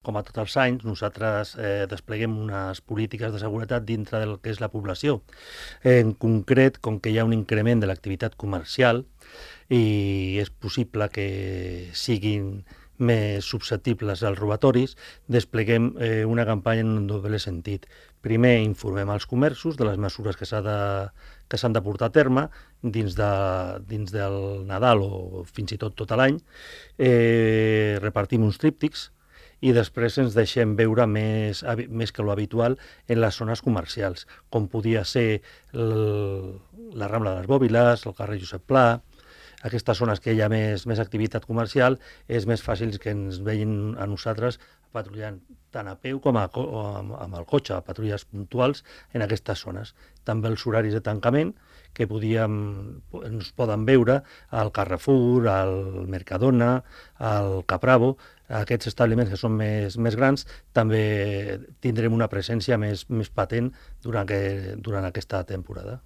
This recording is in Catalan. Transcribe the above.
Com a tots els anys, nosaltres despleguem unes polítiques de seguretat dintre del que és la població. En concret, com que hi ha un increment de l'activitat comercial i és possible que siguin més susceptibles als robatoris, despleguem una campanya en un doble sentit. Primer, informem als comerços de les mesures que s'han de portar a terme dins del Nadal o fins i tot l'any. Repartim uns tríptics i després ens deixem veure més que l'habitual en les zones comercials, com podia ser la Rambla de les Bòbiles, el carrer Josep Pla. Aquestes zones que hi ha més activitat comercial és més fàcil que ens vegin a nosaltres patrullant tant a peu com amb el cotxe, patrulles puntuals en aquestes zones. També els horaris de tancament que ens poden veure al Carrefour, al Mercadona, al Capravo. Aquests establiments que són més grans també tindrem una presència més patent durant aquesta temporada.